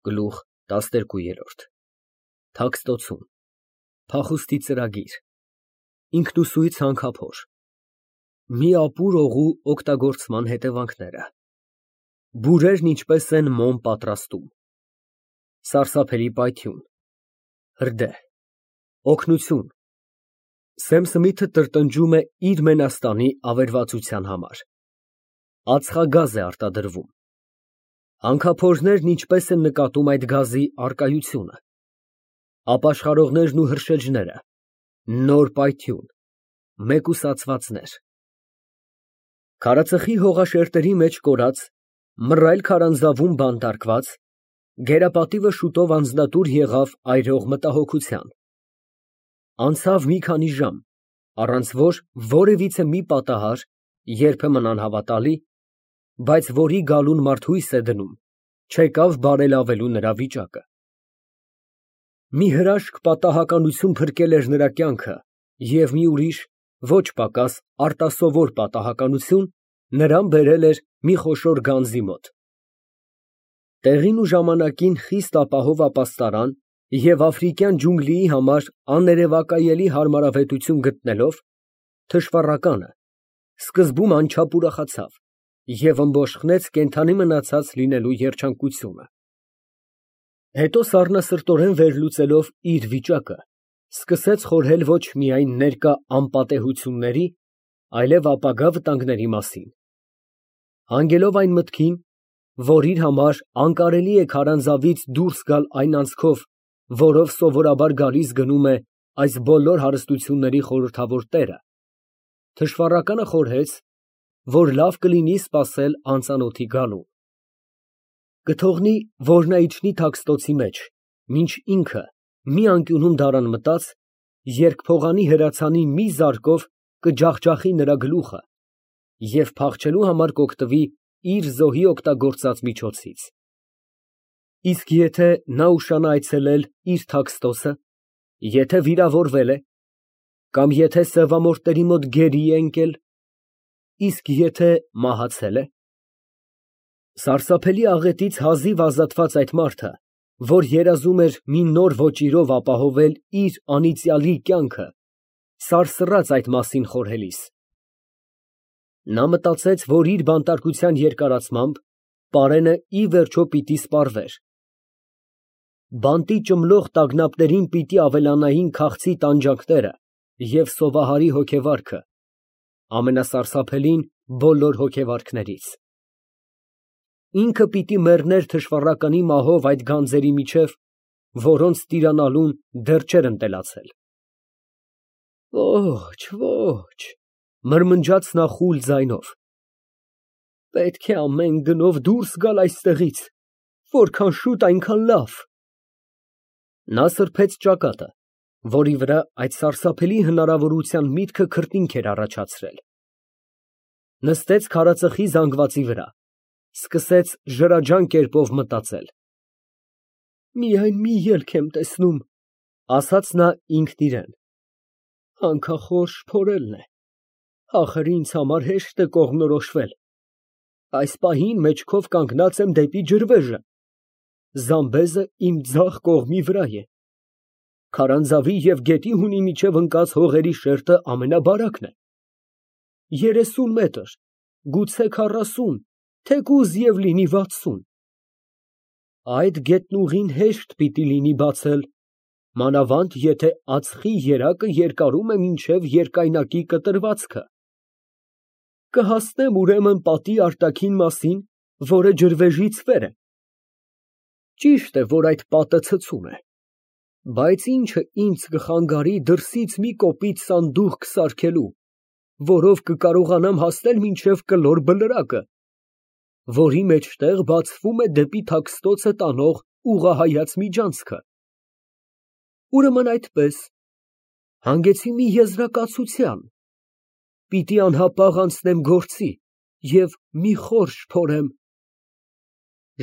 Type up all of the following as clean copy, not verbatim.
Գլուխ 12 Թաքստոցում Փախուստի ծրագիր Ինքնուսույց հանքափոր Մի ապուր օղու օգտագործման հետևանքները Բուրերն ինչպես են մոմ պատրաստում Սարսափելի պայթյուն Հրդեհ Օգնություն Սեմ Սմիթը տրտնջում է իր մենաստանի ավերածության համար Ածխագազ է արտադրվում Հանքափորներն ինչպես են նկատում այդ գազի առկայությունը Ապաշխարողներն ու հրշեջները Նոր պայթյուն Մեկուսացվածներ Քարածխի հողաշերտերի մեջ կորած Մռայլ քարանձավում բանտարկված Գերապատիվը շուտով անձնատուր եղավ այրող մտահոգության Անցավ մի քանի ժամ Առանց որ որևիցե մի պատահար Երբեմն անհավատալի Բայց որի գալուն մարդ հույս է դնում Չեկավ բարելավելու նրա վիճակը Մի հրաշք պատահականություն փրկել էր նրա կյանքը և մի ուրիշ ոչ պակաս արտասովոր պատահականություն նրան բերել էր մի խոշոր գանձի մոտ Տեղին ու ժամանակին խիստ ապահով ապաստարան և աֆրիկյան ջունգլիի համար աներևակայելի հարմարավետություն գտնելով թշվառականը սկզբում անչափ ուրախացավ և ըմբոշխնեց կենդանի մնացած լինելու երջանկությունը Հետո սառնասրտորեն վերլուծելով իր վիճակը սկսեց խորհել ոչ միայն ներկա անպատեհությունների այլև ապագա վտանգների մասին Հանգելով այն մտքին որ իր համար անկարելի է քարանձավից դուրս գալ այն անցքով որով սովորաբար գալիս գնում է այս բոլոր հարստությունների խորհրդավոր տերը թշվառականը խորհեց որ լավ կլինի սպասել անծանոթի գալուն Կթողնի որ նա իջնի Թաքստոցի մեջ մինչ ինքը մի անկյունում դարան մտած երկփողանի հրացանի մի զարկով կջախջախի նրա գլուխը և փախչելու համար կօգտվի իր զոհի օգտագործած միջոցից Իսկ եթե նա ուշանա այցելել իր Թաքստոցը եթե վիրավորվել է կամ եթե սևամորթների մոտ գերի է ընկել իսկ եթե մահացել է Սարսափելի աղետից հազիվ ազատված այդ մարդը որ երազում էր մի նոր ոճիրով ապահովել իր անիծյալի կյանքը սարսռաց այդ մասին խորհելիս Նա մտածեց որ իր բանտարկության երկարացմամբ պարենը ի վերջո պիտի սպառվեր Բանտի ճմլող տագնապներին պիտի ավելանային քաղցի տանջանքները և սովահարի հոգեվարքը ամենասարսափելին բոլոր հոգեվարքներից Ինքը պիտի մեռներ թշվառականի մահով այդ գանձերի միջև որոնց տիրանալուն դեռ չէր ընտելացել Ոչ մրմնջաց նա խուլ ձայնով Պետք է ամեն գնով դուրս գալ այստեղից որքան շուտ այնքան լավ Նա սրբեց ճակատը որի վրա այդ սարսափելի հնարավորության միտքը քրտինք էր առաջացրել Նստեց քարածխի զանգվածի վրա Սկսեց ջրաջան կերպով մտածել Միայն մի ելք եմ տեսնում ասաց նա ինքն իրան Հանքախոր շփորելն է Ախր ինձ համար հեշտ է կողմնորոշվել Այս պահին մեջքով կանգնած եմ դեպի ջրվեժը Զամբեզը իմ ձախ կողմի վրա է Քարանձավի և գետի հունի միջև ընկած հողերի շերտը ամենաբարակն է 30 մետր գուցե 40 թեկուզ և լինի 60 Այդ գետնուղին հեշտ պիտի լինի բացել մանավանդ եթե ածխի երակը երկարում է մինչև երկայնակի կտրվածքը Կհասնեմ ուրեմն պատի արտաքին մասին, որը ջրվեժից վեր է Ճիշտ է, որ այդ պատը ցցում է Բայց ինչը ինձ կխանգարի դրսից մի կոպիտ սանդուղք սարքելու, որով կկարողանամ հասնել մինչև կլոր բլրակը, որի մեջտեղ բացվում է դեպի Թաքստոցը տանող ուղղահայաց միջանցքը Ուրեմն այդպես, հանգեցի մի եզրակացության Պիտի անհապաղ անցնեմ գործի և մի խոր շփորեմ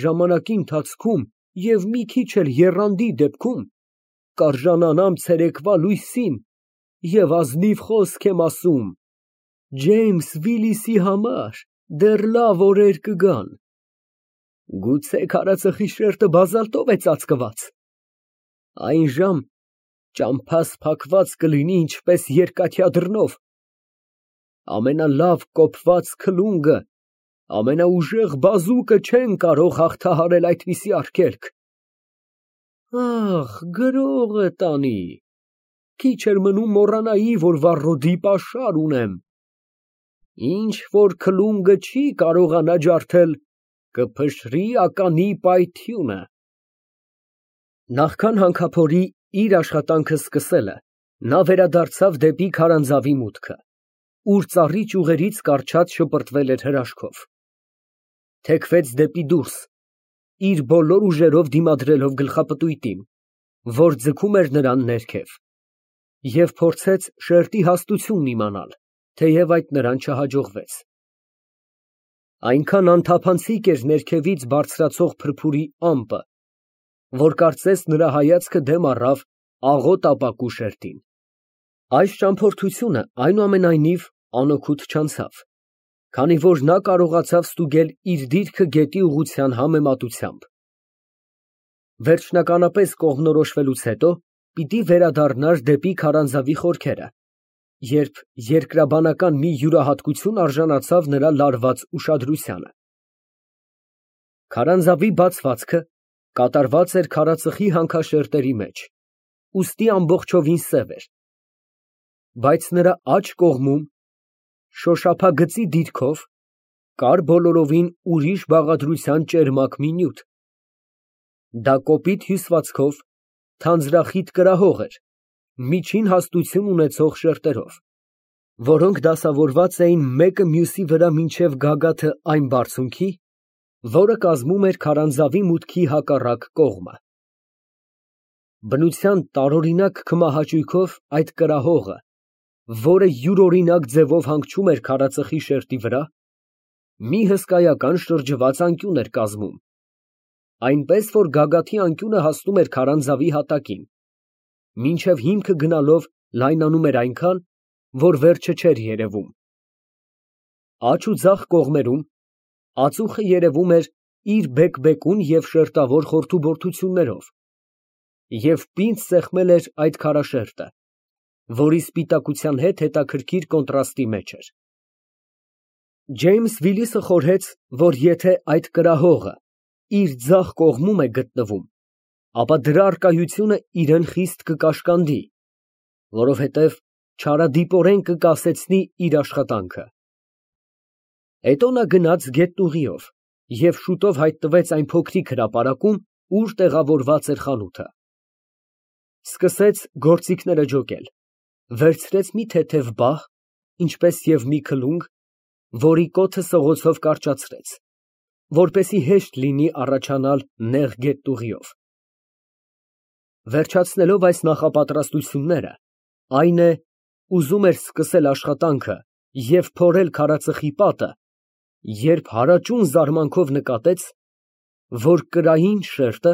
Ժամանակի ընթացքում և մի քիչ էլ եռանդի դեպքում կարժանանամ ցերեկվա լույսին և ազնիվ խոսք եմ ասում Ջեյմս Վիլիսի համար դեռ լավ օրեր կգան Գուցե քարածխի շերտը բազալտով է ծածկված։ Այն ժամ ճամփաս փակված կլինի ինչպես երկաթյա դռնով։ Ամենալավ կոփված քլունգը, ամենաուժեղ բազուկը չեն կարող հաղթահարել այդպիսի արգելք։ Ախ, գրող է տանի, քիչ էր մնում մոռանայի, որ վառոդի պաշար ունեմ։ Ինչ որ քլունգը չի կարողանա ջարդել, կփշրի ականի պայթյունը։ Նախքան հանքափորի իր աշխատանքը սկսելը, նա վերադարձավ դեպի քարանձավի մուտքը, ուր ծառի ճյուղերից կառչած շպրտվել էր հրաշքով։ Թեքվեց դեպի դուրս, իր բոլոր ուժերով դիմադրելով գլխապտույտին, որ ձգում էր նրան ներքև, և փորձեց շերտի հաստությունն իմանալ, թեև այդ նրան չհաջողվեց։ Այնքան անթափանցիկ էր ներքևից բարձրացող փրփուրի ամպը, որ կարծես նրա հայացքը դեմ առավ աղոտ ապակու շերտին։ Այս ճամփորդությունը այնուամենայնիվ անօգուտ չանցավ, քանի որ նա կարողացավ ստուգել իր դիրքը գետի ուղղության համեմատությամբ։ Վերջնականապես կողմնորոշվելուց հետո պիտի վերադառնար դեպի քարանձավի խորքերը, երբ երկրաբանական մի յուրահատկություն արժանացավ նրա լարված ուշադրությանը։ Քարանձավի բացվածքը կատարված էր քարածխի հանքաշերտերի մեջ, ուստի ամբողջովին սև էր, բայց նրա աջ կողմում, շոշափագծի դիրքով, կար բոլորովին ուրիշ բաղադրության ճերմակ մի նյութ։ Դա կոպիտ հյուսվածքով թանձրախիտ կրահող էր, միջին հաստություն ունեցող շերտերով, որոնք դասավորված էին մեկը մյուսի վրա մինչև գագաթը այն բարձունքի, որը կազմում էր քարանձավի մուտքի հակառակ կողմը։ Բնության տարօրինակ քմահաճույքով այդ կրահողը, որը յուրօրինակ ձևով հանգչում էր քարածխի շերտի վրա, մի հսկայական շրջված անկյուն էր կազմում, այնպես որ գագաթի անկյունը հասնում էր քարանձավի հատակին, մինչև հիմքը գնալով լայնանում էր այնքան, որ վերջը չէր երևում։ Աջ ու ձախ կողմերում ածուխը երևում էր իր բեկբեկուն և շերտավոր խորթուբորթություններով և պինդ սեղմել էր այդ քարաշերտը, որի սպիտակության հետ հետաքրքիր կոնտրաստի մեջ էր։ Ջեյմս Վիլիսը խորհեց, որ եթե այդ կրահողը իր ձախ կողմում է գտնվում, ապա դրա առկայությունը իրան խիստ կկաշկանդի, որովհետև չարադիպորեն կկասեցնի իր աշխատանքը։ Հետո նա գնաց գետնուղիով և շուտով հայտնվեց այն փոքրիկ հրապարակում, ուր տեղավորված էր խանութը։ Սկսեց գործիքները ջոկել, վերցրեց մի թեթև բահ, ինչպես և մի քլունգ, որի կոթը սղոցով կարճացրեց, որպեսզի հեշտ լինի առաջանալ նեղ գետնուղիով։ Վերջացնելով այս նախապատրաստությունները, այն է, ուզում էր սկսել աշխատանքը և փորել քարածխի պատը, երբ հարաճուն զարմանքով նկատեց, որ կրային շերտը,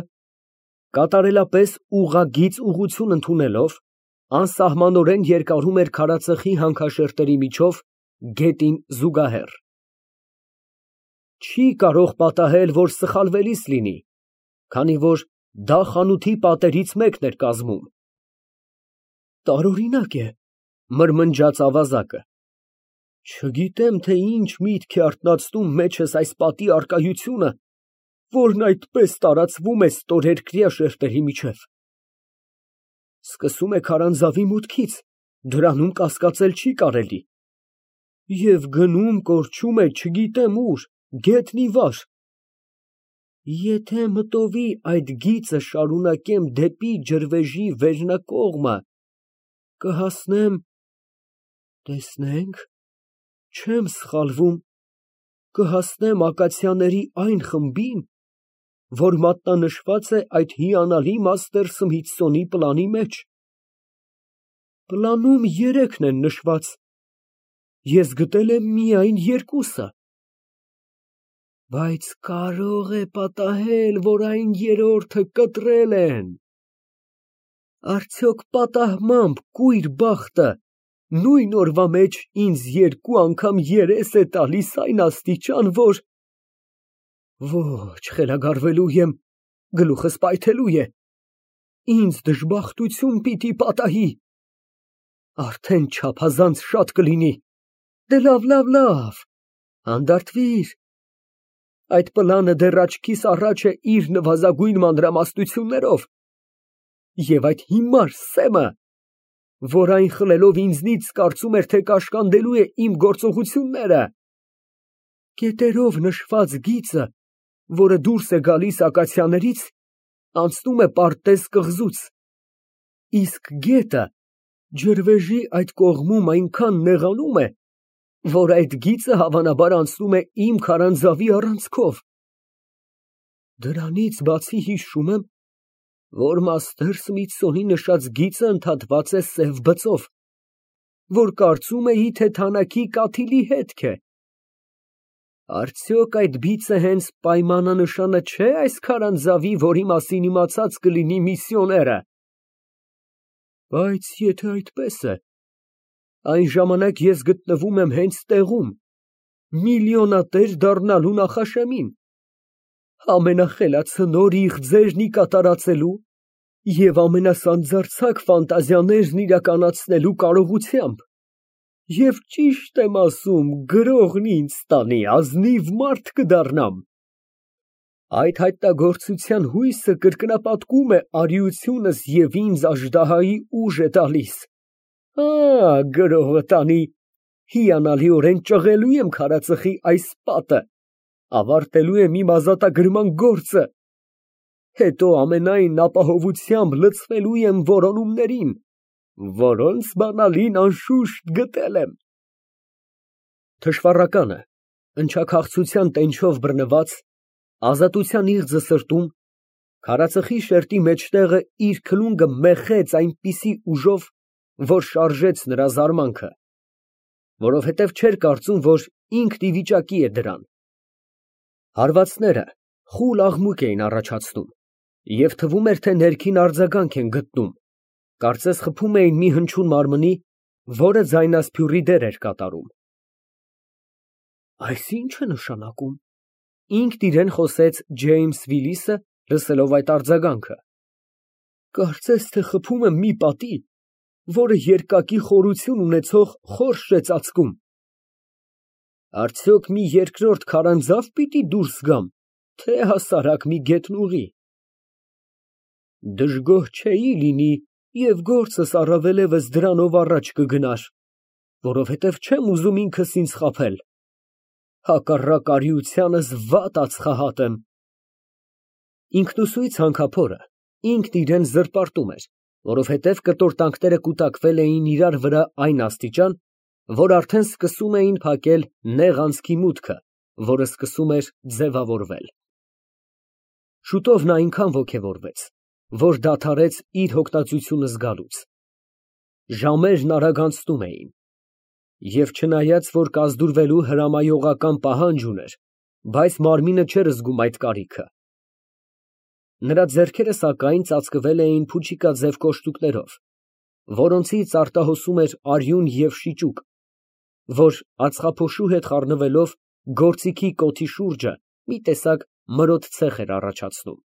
կատարելապես ուղղագիծ ուղղություն ընդունելով, անսահմանորեն երկարում էր քարածխի հանքաշերտերի միջով գետին զուգահեռ։ Չի կարող պատահել, որ սխալվելիս լինի, քանի որ դա խանութի պատերից մեկն էր կազմում։ Տարօրինակ է, մրմնջաց ավազակը, չգիտեմ, թե ինչ միտք է արթնացնում մեջս այս պատի առկայությունը, որն այդպես տարածվում է ստորերկրյա շերտերի միջև։ Սկսում է քարանձավի մուտքից, դրանում կասկածել չի կարելի, և գնում կորչում է չգիտեմ ուր, գեթն ի վար։ Եթե մտովի այդ գիծը շարունակեմ դեպի ջրվեժի վերջնակողմը, կհասնեմ, տեսնենք, չեմ սխալվում, կհասնեմ ակացիաների այն խմբին, որ մատնանշված է այդ հիանալի մաստեր Սմիթսոնի պլանի մեջ։ Պլանում 3-ն են նշված, ես գտել եմ միայն 2-ը։ Բայց կարող է պատահել, որ այն երրորդը կտրել են։ Արդյոք պատահմամբ կույր բախտը նույն օրվա մեջ ինձ 2 անգամ երես է տալիս այն աստիճան, որ… Ոչ, խելագարվելու եմ, գլուխս պայթելու է, ինձ դժբախտություն պիտի պատահի, արդեն չափազանց շատ կլինի, դե լավ, հանդարտվիր, այդ պլանը դեռ աչքիս առաջ է իր նվազագույն մանրամասնություններով, և այդ հիմար սեմը, որ այն խլելով ինձնից կարծում էր, թե կաշկանդելու է իմ գործողությունները, կետերով նշված գիծը, որը դուրս է գալիս ակացիաներից, անցնում է պարտեզ կղզուց, իսկ գետը ջրվեժի այդ կողմում այնքան նեղանում է, որ այդ գիծը հավանաբար անցնում է իմ քարանձավի առանցքով։ Դրանից բացի հիշում եմ, որ մաստեր Սմիթսոնի նշած գիծը ընդհատված է սև բծով, որ կարծում էի, թե թանաքի կաթիլի հետք է։ Արդյոք այդ բիծը հենց պայմանանշանը չէ այս քարանձավի, որի մասին իմացած կլինի միսիոները։ Բայց եթե այդպես է, այն ժամանակ ես գտնվում եմ հենց տեղում, միլիոնատեր դառնալու նախաշեմին, ամենախելացնոր իղձերն կատարածելու և ամենասանձարձակ ֆանտազիաներն իրականացնելու կարողությամբ, և ճիշտ եմ ասում, գրողն ինձ տանի, ազնիվ մարդ կդառնամ։ Այդ հայտնագործության հույսը կրկնապատկում է արիությունս և ինձ աժդահայի ուժ է տալիս։ Գրողը տանի, հիանալիորեն ճղելու եմ քարածխի այս պատը, ավարտելու եմ իմ ազատագրման գործը, հետո ամենայն ապահովությամբ լցվելու եմ որոնումներին, որոնց բանալին անշուշտ գտել եմ։ Թշվառականը, ընչաքաղցության տենչով բռնված, ազատության իղձը սրտում, քարածխի շերտի մեջտեղը իր քլունգը մեխեց այնպիսի ուժով, որ շարժեց նրա զարմանքը, որովհետև չէր կարծում, որ ինքն ի վիճակի է դրան։ Հարվածները խուլ աղմուկ էին առաջացնում, և թվում էր, թե ներքին արձագանք են գտնում, կարծես խփում էին մի հնչյուն մարմնի, որը ձայնասփյուռի դեր էր կատարում։ Այս ի՞նչ է նշանակում, ինքն իրան խոսեց Ջեյմս Վիլիսը, լսելով այդ արձագանքը։ Կարծես թե խփում եմ մի պատի, որը երկակի խորություն ունեցող խորշ է ծածկում։ Արդյոք մի երկրորդ քարանձա՞վ պիտի դուրս գամ, թե հասարակ մի գետնուղի։ Դժգոհ չէի լինի, և գործս առավելևս դրանով առաջ կգնար, որովհետև չեմ ուզում ինքս ինձ խաբել, հակառակ արիությանս վատ ածխահատ եմ։ Ինքնուսույց հանքափորը ինքն իրան զրպարտում էր, որովհետև կտորտանքները կուտակվել էին իրար վրա այն աստիճան, որ արդեն սկսում էին փակել նեղ անցքի մուտքը, որը սկսում էր ձևավորվել։ Շուտով նա այնքան ոգևորվեց, որ դադարեց իր հոգնածությունը զգալուց։ Ժամերն արագ անցնում էին, և չնայած, որ կազդուրվելու հրամայողական պահանջ ուներ, բայց մարմինը չէր զգում այդ կարիքը։ Նրա ձեռքերը, սակայն, ծածկվել էին փուչիկաձև կոշտուկներով, որոնցից արտահոսում էր արյուն և շիճուկ, որ ածխափոշու հետ խառնվելով գործիքի կոթի շուրջը մի տեսակ մրոտ ցեխ էր առաջացնում։